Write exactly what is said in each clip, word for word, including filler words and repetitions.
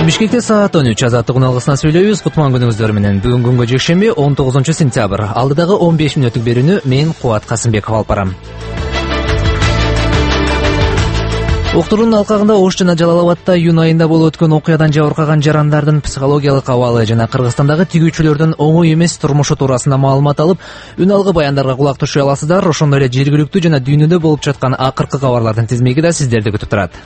Бишкекте саат он үч азаттык уналгысынан сүйлөйбүз. Кутман күнүңүздөр менен. Бүгүн күнгө жекшемби он тогузунчу сентябрь. Алдыдагы он беш мүнөттүк берүүнү мен Кубат Касымбеков алып барам. Уктуруунун алкагында Ош жана Жалал-Абадта июнь айында болуп өткөн окуядан жабыркаган жарандардын психологиялык абалы жана Кыргызстандагы тигүүчүлөрдүн оңой эмес турмушу туурасында маалымат алып, үн алгы баяндарга кулак түшүрө аласыздар. Ошондой эле жергиликтүү жана дүйнөдө болуп жаткан акыркы кабарлардын тизмеги да сиздерди күтүп турат.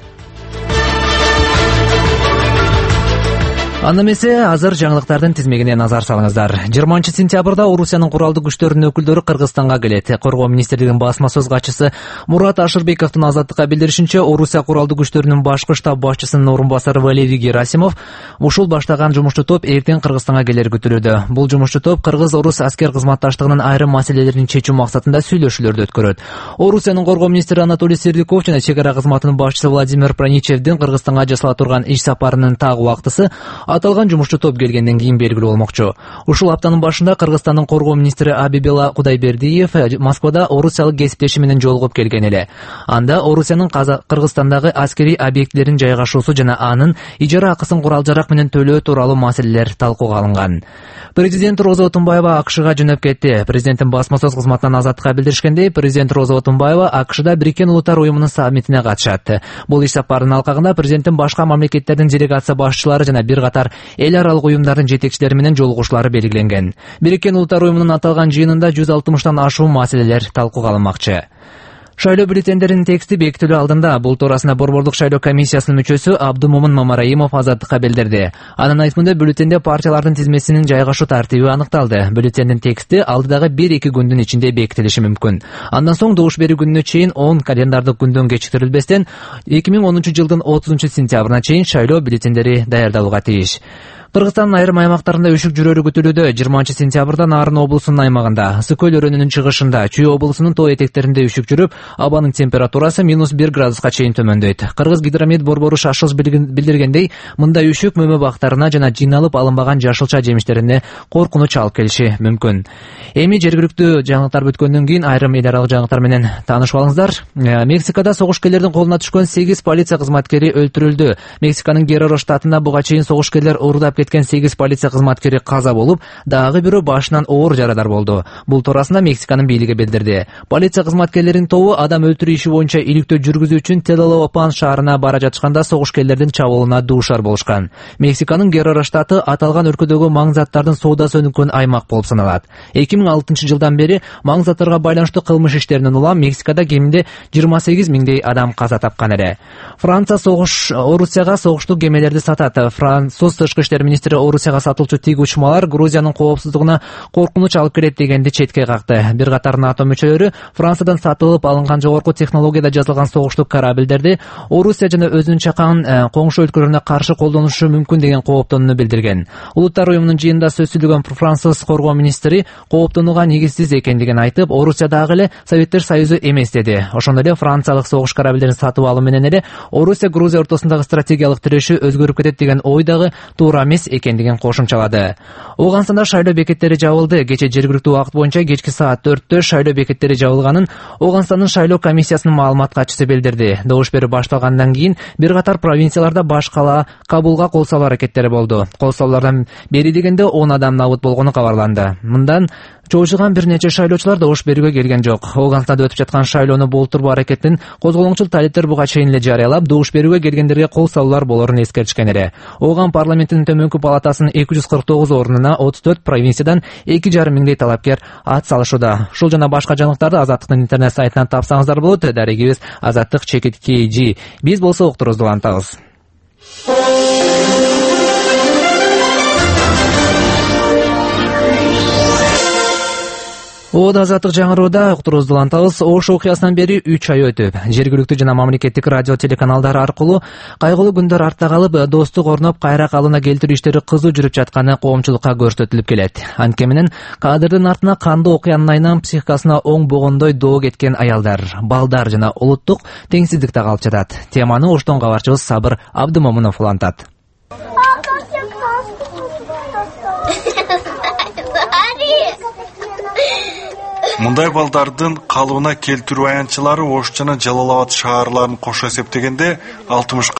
Анда эмесе азыр жаңылыктардын тизмегине назар салыңыздар. жыйырманчы сентябрда Орусиянын куралдуу күчтөрүнүн өкүлдөрү Кыргызстанга келет. Коргоо министрлигинин басма сөз катчысы Мурат Ашырбековдун азаттыкка билдиришинче, Орусия куралдуу күчтөрүнүн башкы штаб башчысынын орун басары Валерий Герасимов ушул баштаган жумушчу топ эртең Кыргызстанга келери күтүлүүдө. Бул жумушчу топ Кыргыз-Орус аскер кызматташтыгынын айрым маселелерин чечүү максатында сүйлөшүүлөрдү өткөрөт. Орусиянын коргоо министри Анатолий Сердюков жана чек ара кызматынын башчысы Владимир Проничевдин Кыргызстанга жасала турган иш сапарынын так убактысы аталган жумушчу топ келгенден кийин белгилүү болмокчу. Ушул аптанын башында Кыргызстандын коргоо министри Абибела Кудайбердиев Москвада орусиялык кесиптеши менен жолугуп келген эле. Анда Орусиянын Кыргызстандагы аскерий объектилерин жайгашуусу жана анын ижара акысын курал-жарак менен төлөө тууралуу маселелер талкууга алынган. Президент Роза Отунбаева АКШга жөнөп кетти. Президенттин басма сөз кызматынан азаттыкка билдиришкендей, президент Роза Отунбаева АКШда Бириккен Улуттар уюмунун саммитине катышат. Бул иш сапарынын алкагында президенттин башка мамлекеттердин делегация башчылары жана бир катар эл аралык уюмдардын жетекчилери менен жолугушуулары белгиленген. Бириккен Улуттар уюмунун аталган жыйынында жүз алтымыштан ашуун маселелер талкууга алынмакчы. Шайлоо бюллетендеринин тексти бекитилүү алдында бул туурасында Борбордук шайлоо комиссиясынын мүчөсү Абдумомун Мамараимов азаттыкка билдирди. Анын айтымында бюллетенде партиялардын тизмесинин жайгашуу тартиби аныкталды. Бюллетендин тексти алдыдагы бир-эки күндүн ичинде бекитилиши мүмкүн. Андан соң добуш берүү күнүнө чейин он календардык күндөн кечиктирилбестен эки миң онунчу жылдын отузунчу сентябрына чейин шайлоо бюллетендери даярдалууга тийиш. Кыргызстандын айрым аймактарында үшүк жүрөрү күтүлүүдө. жыйырманчы сентябрда Нарын облусунун аймагында, Ысык көл өрөөнүнүн чыгышында, Чүй облусунун тоо этектеринде үшүк жүрүп, абанын температурасы минус бир градуска чейин төмөндөйт. Кыргыз гидромет борбору шашылыш билдиргендей, мындай үшүк мөмө бактарына жана жыйналып алынбаган жашылча жемиштерине коркунуч алып келиши мүмкүн. Эми жергиликтүү жаңылыктар бүткөндөн кийин айрым эл аралык жаңылыктар менен таанышып алыңыздар. Мексикада согушкерлердин колуна түшкөн сегиз полиция кызматкери өлтүрүлдү. Мексиканын Герреро штатында буга чейин согушкерлер урдап кеткен сегиз полиция кызматкери каза болуп, дагы бирөө башынан оор жарадар болду. Бул туурасында Мексиканын бийлиги билдирди. Полиция кызматкерлеринин тобу адам өлтүрүү иши боюнча иликтөө жүргүзүү үчүн Телолопан шаарына бара жатышканда согушкерлердин чабуулуна дуушар болушкан. Мексиканын Герреро штаты аталган өлкөдөгү маң заттардын соодасы өнүккөн аймак болуп саналат. эки миң алтынчы жылдан бери маң заттарга байланыштуу кылмыш иштеринен улам Мексикада кеминде жыйырма сегиз миңдей адам каза тапкан эле. Франция согуш Орусияга согуштук кемелерди сатат. Француз тышкы иштер министри Орусияга сатылчу тиг учмалар Грузиянын коопсуздугуна коркунуч алып келет дегенди четке какты. Бир катар НАТО мүчөлөрү Франциядан сатылып алынган жогорку технологияда жасалган согуштук корабльдерди Орусия жана өзүнүн чакан коңшу өлкөлөрүнө каршы колдонушу мүмкүн деген кооптонууну билдирген. Улуттар уюмунун жыйынында сөз сүйлөгөн француз коргоо министри кооптонууга негизсиз экендигин айтып, Орусия дагы эле Советтер Союзу эмес деди. Ошондой эле франциялык согуш корабльдерин сатып алуу менен эле Орусия Грузия ортосундагы стратегиялык тирешүү өзгөрүп кетет деген ой дагы туура эмес экендигин кошумчалады. Ооганстанда шайлоо бекеттери жабылды. Кече жергиликтүү убакыт боюнча кечки саат төрттө шайлоо бекеттери жабылганын Ооганстандын шайлоо комиссиясынын маалымат катчысы билдирди. Добуш берүү башталгандан кийин бир катар провинцияларда баш кала Кабулга кол салуу аракеттери болду. Кол салуулардан бери дегенде он адам набыт болгону кабарланды. Мындан чоочуган бир нече шайлоочулар добуш берүүгө келген жок. Ооганстанда өтүп жаткан шайлоону болтурбоо аракетин козголоңчул талиптер буга чейин эле жарыялап, добуш берүүгө келгендерге кол салуулар болорун эскертишкен эле. Ооган парламентинин төмөнкү палатасынын эки жүз кырк тогуз ордуна отуз төрт провинциядан эки жарым миңдей талапкер ат салышууда. Ушул жана башка жаңылыктарды Азаттыктын интернет сайтынан тапсаңыздар болот. Дарегибиз Азаттык чекит кей жи. Биз болсо уктурубузду улантабыз. Ода Азаттык жаңырууда уктурубузду улантабыз. Ош окуясынан бери үч ай өтүп, жергиликтүү жана мамлекеттик радио телеканалдар аркылуу кайгылуу күндөр артта калып, достук орноп, кайра калыбына келтирүү иштери кызуу жүрүп жатканы коомчулукка көрсөтүлүп келет. Анткени менен кадрдын артына кандуу окуянын айынан психикасына оң богондой доо кеткен аялдар, балдар жана улуттук теңсиздик да калып жатат. Теманы Оштон кабарчыбыз Сабыр Абдымомунов улантат. Мындай балдардын калыбына келтирүү аянтчылары Ош жана Жалал-Абад шаарларын кошо эсептегенде алтымышка